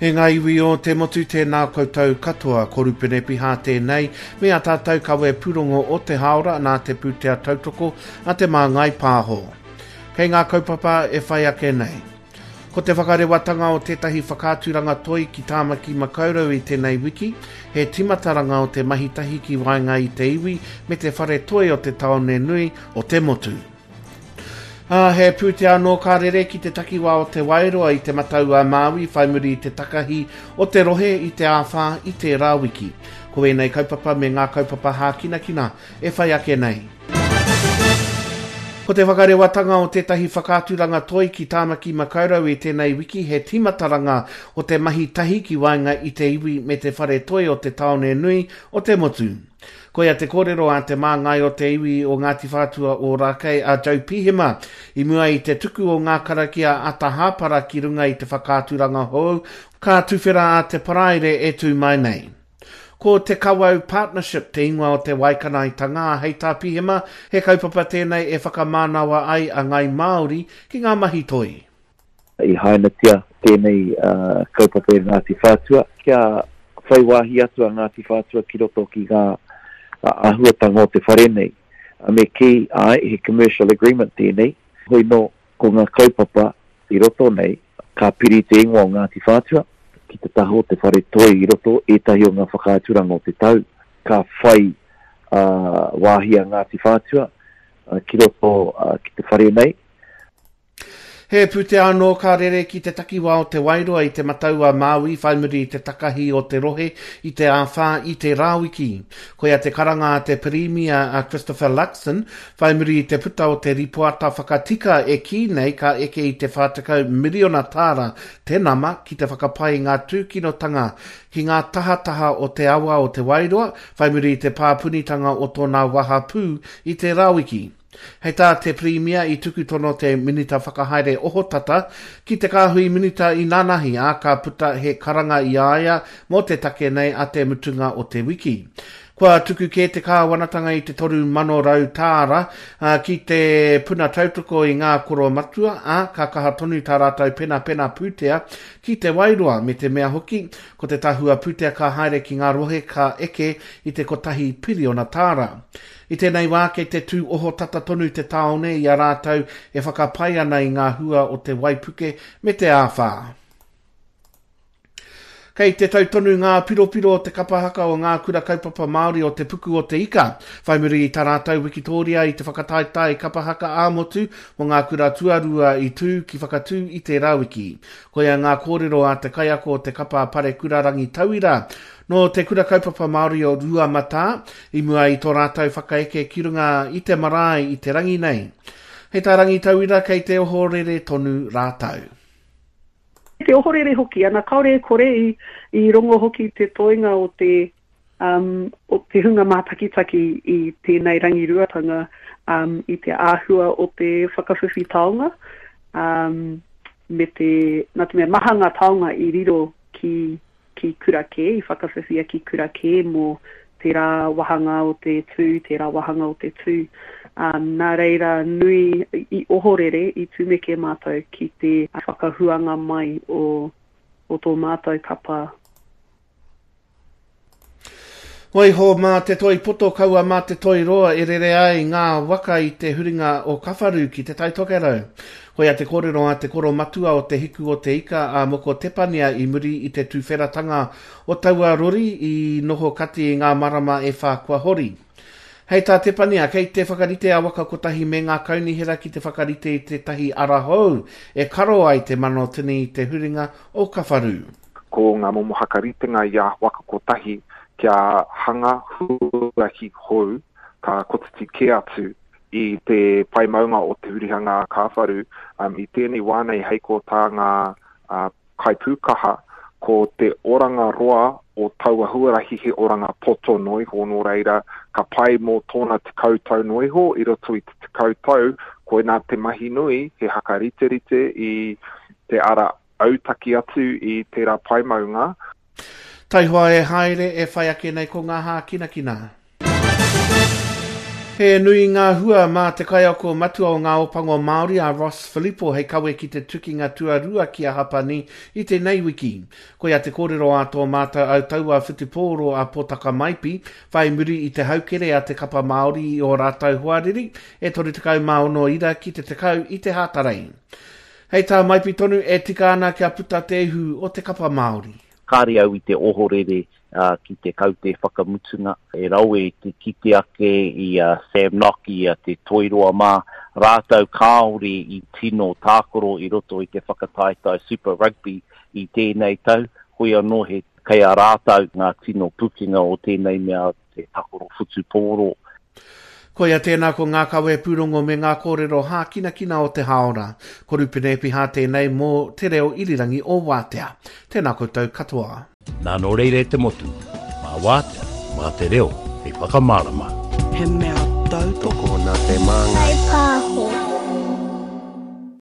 E ngā iwi o te motu tēnā koutou katoa, ko Rupene Piha tēnei, me a tātou kawe pūrongo o te hāora nā te pūtea tautoko a Te Māngai Pāho. Kei ngā kaupapa e whai ake nei. Ko te whakarewatanga o tētahi whakaaturanga toi ki Tāmaki Makaurau i tēnei wiki, he timataranga o te mahi tahi ki waenga i te iwi me te whare toi o te tāone nui o te motu. Ā, he pūtea anō ka rere ki te takiwā o Te Wairoa i Te Matau-a-Māui whai muri i te takahi o te rohe i te āwhā i tērā wiki. Ko ēnei kaupapa me ngā kaupapa hākinakina e whai ake nei. Ko te whakarewatanga o tētahi whakaaturanga toi ki Tāmaki Makaurau i tēnei wiki he tīmataranga o te mahi tahi ki waenga i te iwi me te whare toi o te tāone nui o te motu. Koia te kōrero a te māngai o te iwi o Ngāti Whātua Ōrākei a Joe Pihema i mua i te tuku o ngā karakia ata hāpara ki runga i te whakaaturanga hou ka tuwhera a te Paraire e tū mai nei. Ko Te Kawau Partnership te ingoa o te waikanaetanga, ā, hei tā Pihema, he kaupapa tēnei e whakamānawa ai a Ngāi Māori ki ngā mahi toi. I hainatia tēnei kaupapa e Ngāti Whātua kia whai wāhi atu a Ngāti Whātua ki roto ki ngā āhuatanga o te whare nei. Me kī, āe, he commercial agreement tēnei, hoi nō, ko ngā kaupapa i roto nei, ka piri te ingoa o Ngāti Whātua ki te taha o te whare toi i roto ētahi o ngā whakaaturanga o te tau, ka whai wāhi a Ngāti Whātua ki roto ki te whare nei. He pūtea anō ka rere ki te takiwā o Te Wairoa i Te Matau-a-Māui whai muri i te takahi o te rohe i te āwhā i tērā wiki. Koia te karanga a te Pirimia a Christopher Luxon whai muri i te puta o te ripoata whakatika e kī nei ka eke i te 40 miriona tāra te nama ki te whakapai i ngā tūkinotanga ki ngā tahataha o te awa o Te Wairoa whai muri i te pāpunitanga o tōna wahapū i tērā wiki. Hei tā te Pirimia i tuku tono te Minita Whakahaere Ohotata ki te Kāhui Minita inanahi, ā, ka puta he karanga i a ia mō te take nei a te mutunga o te wiki. Kua tuku kē te kāwanatanga i te 3,100 tāra ki te puna tautoko i ngā koromatua, ā, ka kaha tonu tā rātou penapena pūtea ki Te Wairoa, me te mea hoki, ko te tahua pūtea ka haere ki ngā rohe ka eke i te kotahi piriona tāra. I tēnei wā kei te tū ohotata tonu te tāone i a rātou e whakapae ana i ngā hua o te waipuke me te āwhā. Kei te tau tonu ngā piropiro o te kapa haka o ngā kura kaupapa Māori o Te Puku o Te Ika, whai muri i tā rātou wikitōria i te whakataetae kapa haka ā-motu mō ngā kura tuarua i tū ki Whakatū i tērā wiki. Koia ngā kōrero a te kaiako o te kapa Parekura Rangitauira, Nō Te Kura Kaupapa Māori o Ruamatā, i mua i tō rātou whakaeke ki runga i te marae i te rangi nei. Hei tā Rangitauira kei te ohorere tonu rātou. Te ohorere hoki, ana kāore e kore i, i rongo hoki te toenga o te, um, o te hunga mātakitaki i tēnei rangiruatanga um, i te āhua o te whakawhiwhi taonga, um, me te, nā te mea maha ngā taonga i riro ki ki kura kē, i whakawhiwhia ki kura kē mō tērā wāhanga o te tū, tērā wāhanga o te tū. Um, nā reira nui i ohorere, i tumeke mātou ki te whakahuanga mai o, o tō mātou kapa. Waiho mā te toi poto kaua mā te toi roa e rere ai ngā waka i te huringa o Kawharu ki Te Tai Tokerau. Koia te kōrero a te koro matua o Te Hiku o Te Ika a Moko Tepania i muri i te tuwheratanga o taua rori i noho kati i ngā marama e whā kua hori. Hei tā Tepania, kei te whakarite a Waka Kotahi me ngā kaunihera ki te whakarite i tētahi ara hou e karo ai te manotini i te huringa o Kawharu. Ko ngā momo hakaritenga i a Waka Kotahi kia hanga huarahi hou ka kotiti kē atu i te pae maunga o te hurihanga a Kāwharu. I tēnei wā nei hei ko tā ngā kaipūkaha ko te oranga roa o taua huarahi he oranga poto noa iho, nō reira ka pai mō tōna 10 tau noa iho, i roto i te 10 tau koinā te mahi nui he hakariterite i te ara autaki atu i tērā pae maunga. Taihoa e haere, e whai ake nei ko ngā hākinakina. He nui ngā hua mā te kaiako matua o Ngā Opango Māori a Ross Filipo hei kawe ki te tukinga tuarua ki a Hapani i tēnei wiki. Koia te kōrero a tō mātou autaua whutupōro a Potaka Maipi, whai muri i te haukere a te kapa Māori i ō rātou hoariri e 36 ira ki te 10 i te Hātarei. Hei tā Maipi tonu e tika ana kia puta te ihu o te kapa Māori. Kāre au i te ohorere ki te kaute whakamutunga. E rawe te kite ake i a Sam Nock, i a Te Toiroa mā, rātou kāore i tino tākaro i roto i te whakataetae Super Rugby i tēnei tau, hoi anō he kei a rātou ngā tino pukenga o tēnei mea te takoro whutupōro. Koia tēnā ko ngā kawe pūrongo me ngā kōrero hākinakina o te hāora. Ko Rupene Epiha tēnei mō Te Reo Irirangi o Wātea. Tēnā koutou katoa. Nā nō reira e te motu, mā Wātea, mā te reo hei whakamārama. He mea tautoko. Tokona te māngai.